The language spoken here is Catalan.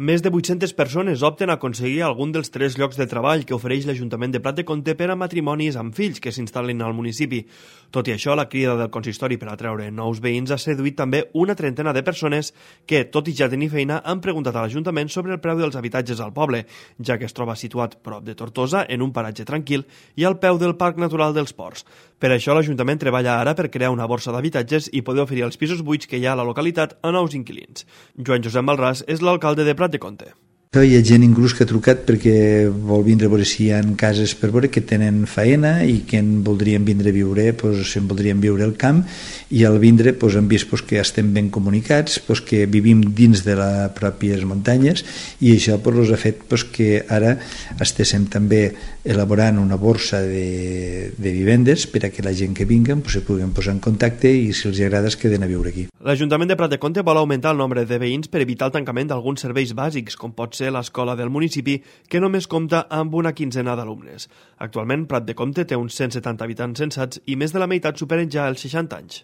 Més de 800 persones opten a aconseguir algun dels 3 llocs de treball que ofereix l'Ajuntament de Prat de Comte per a matrimonis amb fills que s'instal·lin al municipi. Tot i això, la crida del consistori per atreure nous veïns ha seduït també una trentena de persones que, tot i ja tenir feina, han preguntat a l'Ajuntament sobre el preu dels habitatges al poble, ja que es troba situat prop de Tortosa, en un paratge tranquil i al peu del Parc Natural dels Ports. Per això, l'Ajuntament treballa ara per crear una borsa d'habitatges i poder oferir els pisos buits que hi ha a la localitat a nous inquilins. Joan Josep Malràs és l'alcalde de Prat de Comte. Hi ha gent inclús que ha trucat perquè vol vindre a veure si hi ha cases per veure que tenen faena i que en voldrien vindre a viure, se'n voldrien viure al camp, i al vindre han vist que estem ben comunicats, que vivim dins de les pròpies muntanyes, i això ha fet que ara estéssim també elaborant una borsa de vivendes per a que la gent que vinguen se puguin posar en contacte i si els agrada es queden a viure aquí. L'Ajuntament de Prat de Comte vol augmentar el nombre de veïns per evitar el tancament d'alguns serveis bàsics, com pot ser l'escola del municipi, que només compta amb una quinzena d'alumnes. Actualment, Prat de Comte té uns 170 habitants censats i més de la meitat superen ja els 60 anys.